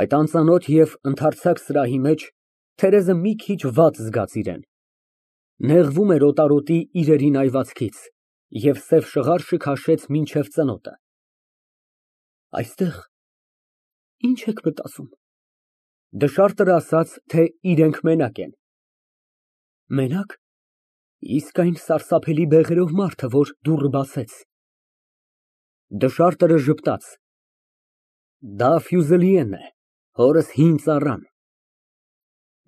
Այդ անծանոթ և ընդարձակ սրահի մեջ Թերեզը մի քիչ վատ զգաց իրան, նեղվում էր օտարոտի իրերի նայվածքից և սև շղարշը քաշեց մինչև ծնոտը։ Այստեղ ի՞նչ եք մտածում։ Դշարտը ասաց, թե իրենք մենակ են։ Մենա՞կ։ Իսկ այն սարսափելի բեղերով մարդը, որ դուռը բացեց։ Դշարտը ժպտաց։ Դա Ֆյուզելիեն է, հորս հին ծառան։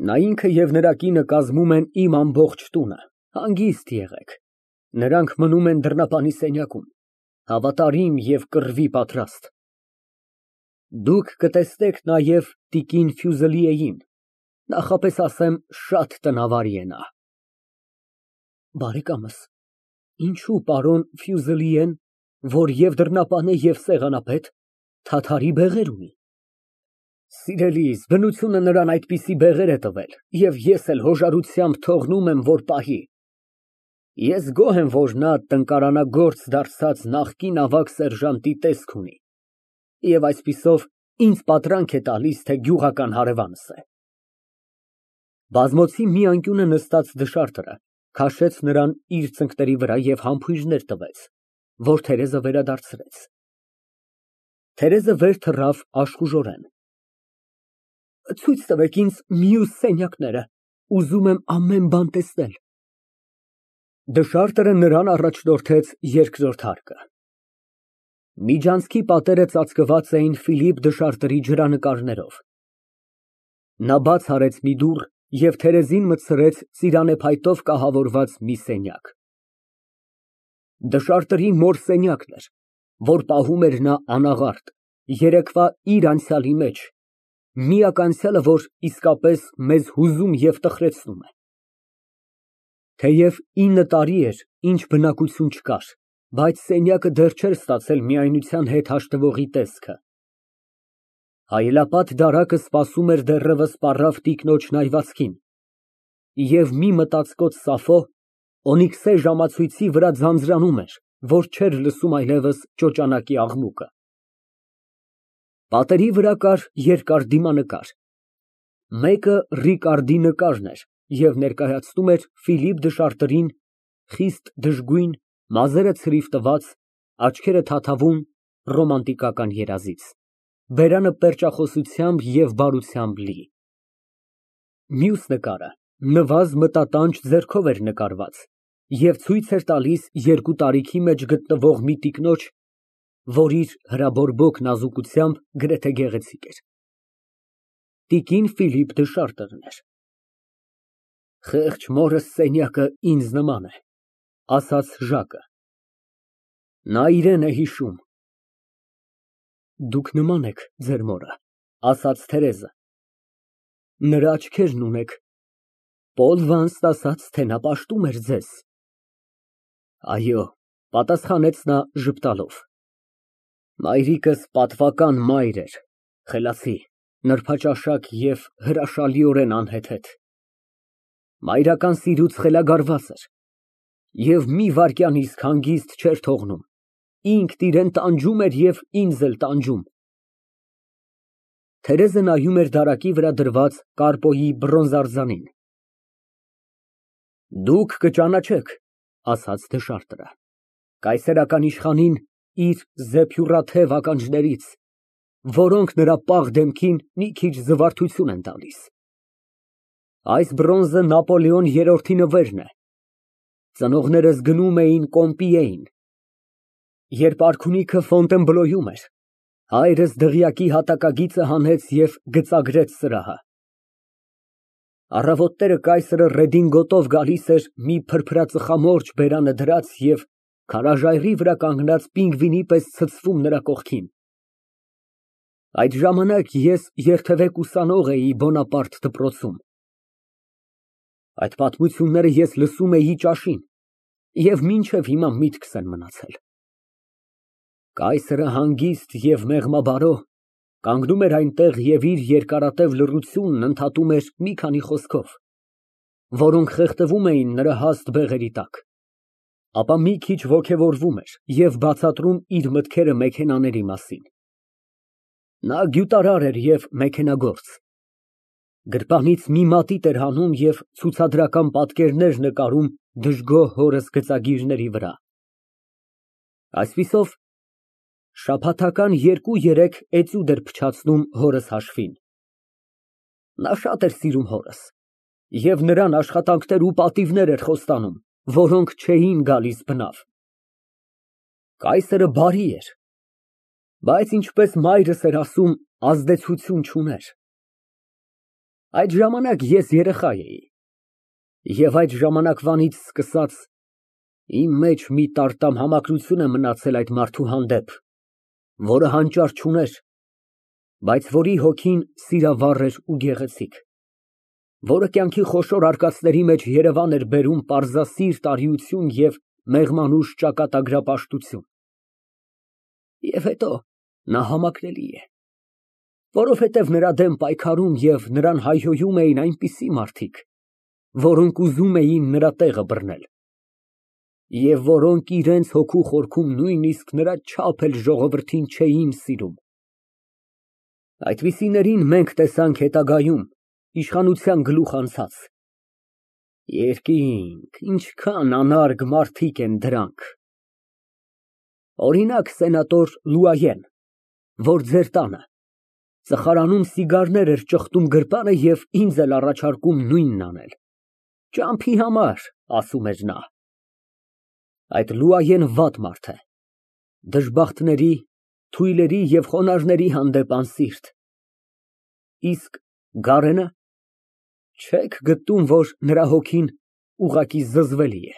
Նա ինքը և նրա կինը կազմում են իմ ամբողջ տունը, հանգիստ եղեք, նրանք մնում են դռնապանի սենյակում, հավատարիմ և կռվի պատրաստ։ Դուք կտեսնեք նաև տիկին Ֆյուզելիեին, նախապես ասեմ, շատ տնավարի է նա։ Բարեկամս, ինչո՞ւ պարոն Ֆյուզելիեն, որ և դռնապան է, և սեղանապետ, թաթարի բեղեր ունի։ Սիրելիս, բնությունը նրան այդպիսի բեղեր է տվել, և ես էլ հոժարությամբ թողնում եմ, որ պահի։ Ես գոհ եմ, որ նա տնկարանագործ դարձած նախկին ավագ սերժանտի տեսք ունի, և այսպիսով ինձ պատրանք է տալիս, թե գյուղական հարևանս է։ Բազմոցի մի անկյունը նստած դշարտը քաշեց նրան իր ծնկների վրա և համբույրներ տվեց, որ Թերեզը վերադարձրեց։ Թերեզը վեր թռավ աշխուժորեն։ Ցույց տվեք ինձ մյուս սենյակները, ուզում եմ ամեն բան տեսնել։ Դշարտը նրան առաջնորդեց երկրորդ հարկը։ Միջանցքի պատերը ծածկված էին Ֆիլիպ Դշարտերի ջրանկարներով։ Նա բաց արեց մի դուռ և Թերեզին մտցրեց ծիրանը փայտով կահավորված մի սենյակ։ Դշարտերի մոր սենյակն էր, որ պահում էր նա անաղարտ, երեկվա իր անցյալի մեջ, միակ անցյալը, որ իսկապես մեզ հուզում և տխրեցնում է։ Թեև 9 տարի էր, ինչ բնակություն չկար, բայց սենյակը դեռ չէր ստացել միայնության հետ հաշտվողի տեսքը։ Հայելապատ դարակը սպասում էր դեռևս պառավ տիկնոջ նայվածքին, և մի մտածկոտ Սաֆո օնիքսե ժամացույցի վրա ձանձրանում էր, որ չէր լսում այլևս ճոճանակի աղմուկը։ Պատերի վրա կար երկար դիմանկար։ Մեկը Ռիկարդի նկարն էր և ներկայացնում էր Ֆիլիպ Դշարտերին խիստ դժգույն, մազերը ցրիվ տված, աչքերը թաթավուն ռոմանտիկական երազից, բերանը պերճախոսությամբ և բարությամբ լի։ Մյուս նկարը նվազ մտատանջ ձեռքով էր նկարված և ցույց էր տալիս երկու տարիքի մեջ գտնվող մի տիկնոջ, որ իր հրաբորբոք նազուկությամբ գրեթե գեղեցիկ էր։ Տիկին Ֆիլիպ Դշարտերն էր։ Խեղճ մորս սենյակը ինձ նման է, ասաց Ժակը։ Նա իրան է հիշում։ Դուք նման եք ձեր մորը, ասաց Թերեզը։ Նրա աչքերն ունեք, Պոլ Վանստ ասաց, թե նա պաշտում էր ձեզ։ Այո, պատասխանեց նա ժպտալով։ Մայրիկս պատվական մայր էր, խելացի, նրբաճաշակ և հրաշալիորեն անհեթեթ։ Մայրական սիրուց խելագարված էր և մի վայրկյան իսկ հանգիստ չէր թողնում, ինքն իրան տանջում էր և ինձ էլ տանջում։ Թերեզը նայում էր դարակի վրա դրված կապոյի բրոնզե արձանին։ Դուք կճանաչեք, ասաց դշարտը, կայսերական իշխանին իր զեփյուռաթև ականջներից, որոնք նրա պաղ դեմքին մի քիչ զվարթություն են տալիս։ Այս բրոնզը Նապոլեոն III-ի նվերն է։ Ծնողներս գնում էին Կոմպիեյն։ Երբ արքունիքը Ֆոնտենբլոյում էր, հայրս դղյակի հատակագիծը հանեց և գծագրեց սրահը։ Առավոտները կայսրը ռեդինգոտով գալիս էր մի փրփրածխամորճ բերանը դրած և քարաժայռի վրա կանգնած պինգվինի պես ցցվում նրա կողքին։ Այդ ժամանակ ես երթևեկ ուսանող էի Բոնապարտ դպրոցում։ Այդ պատմությունները ես լսում էի ճաշին և մինչև հիմա միտքս են մնացել։ Կայսրը հանգիստ և մեղմաբարո կանգնում էր այնտեղ և իր երկարատև լռությունն ընդհատում էր մի քանի խոսքով, որոնք խեղդվում էին նրա հաստ բեղերի տակ, ապա մի քիչ ոգևորվում էր և բացատրում իր մտքերը մեքենաների մասին։ Նա գյուտարար էր և մեքենագործ։ Գրպանից մի մատիտ էր հանում և ցուցադրական պատկերներ նկարում դժգոհ հորս գծագիրների վրա։ Այսպիսով, շաբաթական 2-3 էտյուդ էր փչացնում հորս հաշվին։ Նա շատ էր սիրում հորս և նրան աշխատանքներ ու պատիվներ էր խոստանում, որոնք չէին գալիս բնավ։ Կայսրը բարի էր, բայց, ինչպես մայրս էր ասում, ազդեցություն չուներ։ Այդ ժամանակ ես երեխա էի, և այդ ժամանակվանից սկսած իմ մեջ մի տարտամ համակրություն է մնացել այդ մարդու հանդեպ, որը հանճար չուներ, բայց որի հոգին սիրավառ էր ու գեղեցիկ, որը կյանքի խոշոր արկածների մեջ երևան էր բերում պարզասիրտ արիություն և մեղմանուշ ճակատագրապաշտություն։ Եվ հետո նա համակրելի է, որովհետև նրա դեմ պայքարում և նրան հայհոյում էին այնպիսի մարդիկ, որոնք ուզում էին նրա տեղը բռնել, և որոնք իրենց հոգու խորքում նույնիսկ նրա չափ էլ ժողովրդին չէին սիրում։ Այդպիսիներին մենք տեսանք հետագայում իշխանության գլուխ անցած։ Երկինք, ինչքան անարգ մարդիկ են դրանք։ Օրինակ, սենատոր Լուայեն, որ ձեր տանը ծխարանում սիգարներ էր ճխտում գրպանը և ինձ էլ առաջարկում նույնն անել։ Ճամփի համար, ասում էր նա։ Այդ Լուայեն վատ մարդ է, դժբախտների, թույլերի և խոնարհների հանդեպ անսիրտ։ Իսկ Գարենը, չե՞ք գտնում, որ նրա հոգին ուղղակի զզվելի է։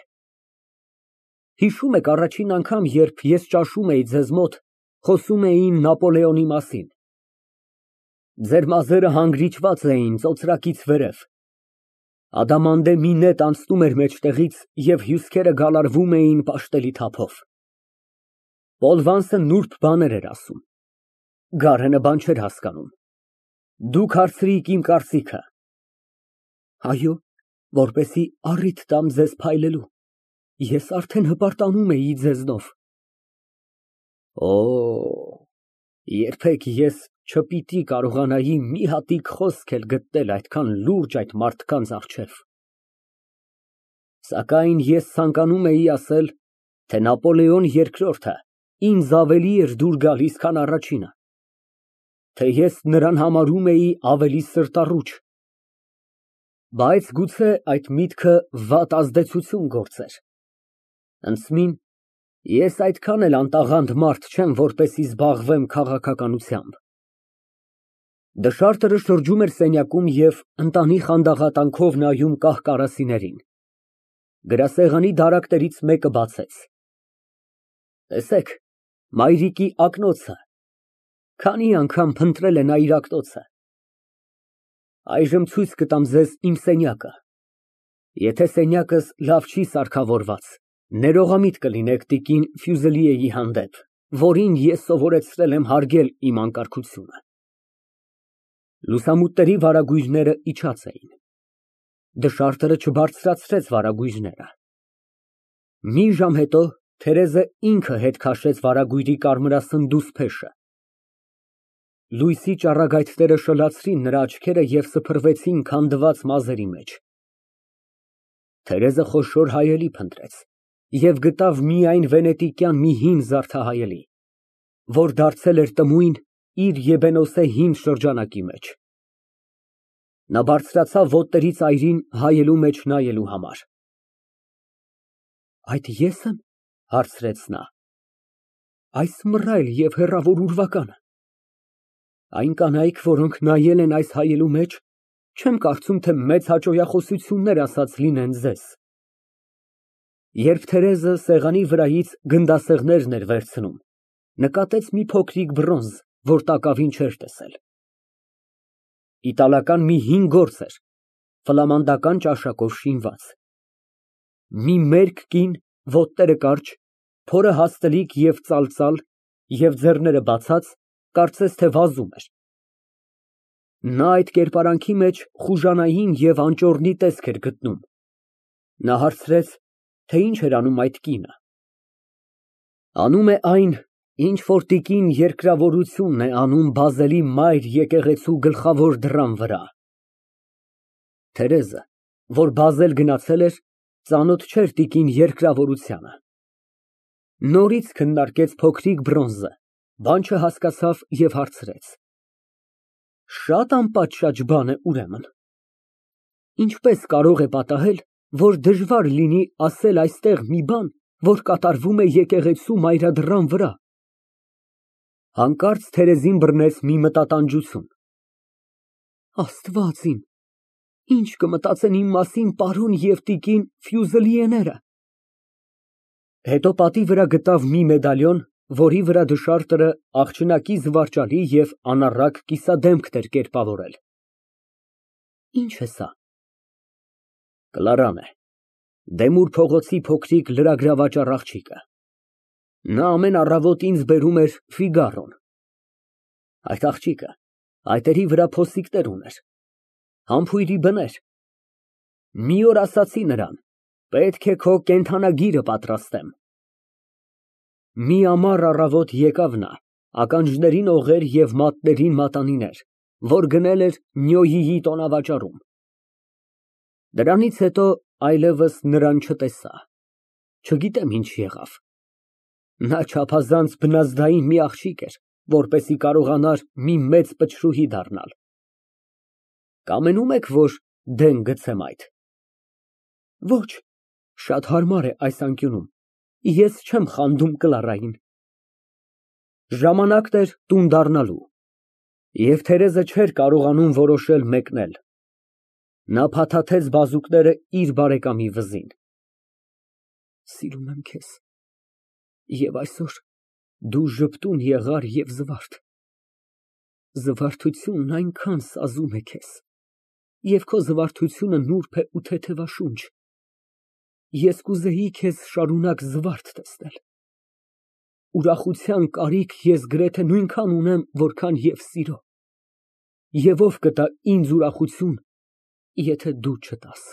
Հիշո՞ւմ եք առաջին անգամ, երբ ես ճաշում էի ձեզ մոտ, խոսում էին Նապոլեոնի մասին։ Ձեր մազերը հանգրիչված էին ծոծրակից վերև, ադամանդե մի նետ անցնում էր մեջտեղից և հյուսքերը գալարվում էին պաշտելի թափով։ Պոլ Վանսը նուրբ բաներ էր ասում, Գարենը բան չէր հասկանում։ Դուք հարցրիք իմ կարծիքը։ Այո, որպեսզի առիթ տամ ձեզ փայլելու, ես արդեն հպարտանում էի ձեզնով։ Օ, երբեք ես չպիտի կարողանայի մի հատիկ խոսք էլ գտնել այդքան լուրջ այդ մարդկանց առջև։ Սակայն ես ցանկանում էի ասել, թե Նապոլեոն II-ը ինձ ավելի էր դուր գալիս, քան առաջինը, թե ես նրան համարում էի ավելի սրտառուչ, բայց գուցե այդ միտքը վատ ազդեցություն գործեր։ Ընդսմին, ես այդքան էլ անտաղանդ մարդ չեմ, որպեսզի զբաղվեմ քաղաքականությամբ։ Դշարտերը շրջում էր սենյակում և ընտանի խանդաղատանքով նայում կահ֊կարասիներին։ Գրասեղանի դարակներից մեկը բացեց։ Տեսեք, մայրիկի ակնոցը, քանի անգամ փնտրել է նա իր ակնոցը։ Այժմ ցույց կտամ ձեզ իմ սենյակը։ Եթե սենյակս լավ չի սարքավորված, ներողամիտ կլինեք տիկին Ֆյուզելիեի հանդեպ, որին ես սովորեցրել եմ հարգել իմ անկարգությունը։ Լուսամուտների վարագույրները իջած էին։ Դշարտերը չբարձրացրեց վարագույրները։ Մի ժամ հետո Թերեզը ինքը հետ քաշեց վարագույրի կարմրասնդուս փեշը։ Լույսի ճառագայթները շլացրին նրա աչքերը և սփռվեցին քանդված մազերի մեջ։ Թերեզը խոշոր հայելի փնտրեց և գտավ միայն վենետիկյան մի հին զարդահայելի, որ դարձել էր տմույն իր եբենոսե հին շրջանակի մեջ։ Նա բարձրացավ ոտների ծայրին հայելու մեջ նայելու համար։ Այդ ե՞ս եմ, հարցրեց նա։ Այս մռայլ և հեռավոր ուրվականը։ Այն կանայք, որոնք նայել են այս հայելու մեջ, չեմ կարծում, թե մեծ հաճոյախոսություններ ասած լինեն ձեզ։ Երբ Թերեզը սեղանի վրայից գնդասեղներն էր վերցնում, նկատեց մի փոքրիկ բրոնզ, որ տակավին չէր տեսել։ Իտալական մի հին գործ էր, ֆլամանդական ճաշակով շինված։ Մի մերկ կին, ոտները կարճ, փորը հաստլիկ և ծալծալ և ձեռները բացած, կարծես թե վազում էր։ Նա այդ կերպարանքի մեջ խուժանային և անճոռնի տեսք էր գտնում։ Նա հարցրեց, թե ինչ էր անում այդ կինը։ Անում է այն, Ինչ որ տիկին երկրավորությունն է անում Բազելի մայր եկեղեցու գլխավոր դռան վրա։ Թերեզը, որ Բազել գնացել էր, ծանոթ չէր տիկին երկրավորությանը։ Նորից քննարկեց փոքրիկ բրոնզը, բան չհասկացավ և հարցրեց. Շատ անպատշաճ բան է, ուրեմն։ Ինչպես կարող է պատահել, որ դժվար լինի ասել այստեղ մի բան, որ կատարվում է եկեղեցու մայրադռան վրա։ Հանկարծ Թերեզին բռնեց մի մտատանջություն։ Աստված իմ, ինչ կմտածեն իմ մասին պարոն և տիկին Ֆյուզելիեները։ Հետո պատի վրա գտավ մի մեդալիոն, որի վրա դշարտը աղջնակի զվարճալի և անառակ կիսադեմքն էր կերպավորել։ Ի՞նչ է սա։ Կլարան է, Դեմուր փողոցի փոքրիկ լրագրավաճառ աղջիկը։ Նա ամեն առավոտ ինձ բերում էր Ֆիգարոն։ Այդ աղջիկը այտերի վրա փոստիկներ ուներ, համբույրի բներ։ Մի օր ասացի նրան. պետք է քո կենդանագիրը պատրաստեմ։ Մի ամառ առավոտ եկավ նա, ականջներին օղեր և մատներին մատանիներ, որ գնել էր Նյոյիի տոնավաճառում։ Դրանից հետո այլևս նրան չտեսա, չգիտեմ ինչ եղավ։ Նա չափազանց բնազդային մի աղջիկ էր, որպեսզի կարողանար մի մեծ պչրուհի դառնալ։ Կամենում եք, որ դեն գցեմ այդ։ Ոչ, շատ հարմար է այս անկյունում, ես չեմ խանդում Կլարային։ Ժամանակն էր տուն դառնալու, և Թերեզը չէր կարողանում որոշել մեկնել։ Նա փաթաթեց բազուկները իր բարեկամի վզին։ Սիրում եմ քեզ, և այսօր դու ժպտուն եղար և զվարթ։ Զվարթությունն այնքան սազում է քեզ, և քո զվարթությունը նուրբ է ու թեթևաշունչ։ Ես կուզեի քեզ շարունակ զվարթ տեսնել։ Ուրախության կարիք ես գրեթե նույնքան ունեմ, որքան և սիրո։ Եվ ով կտա ինձ ուրախություն, եթե դու չտաս։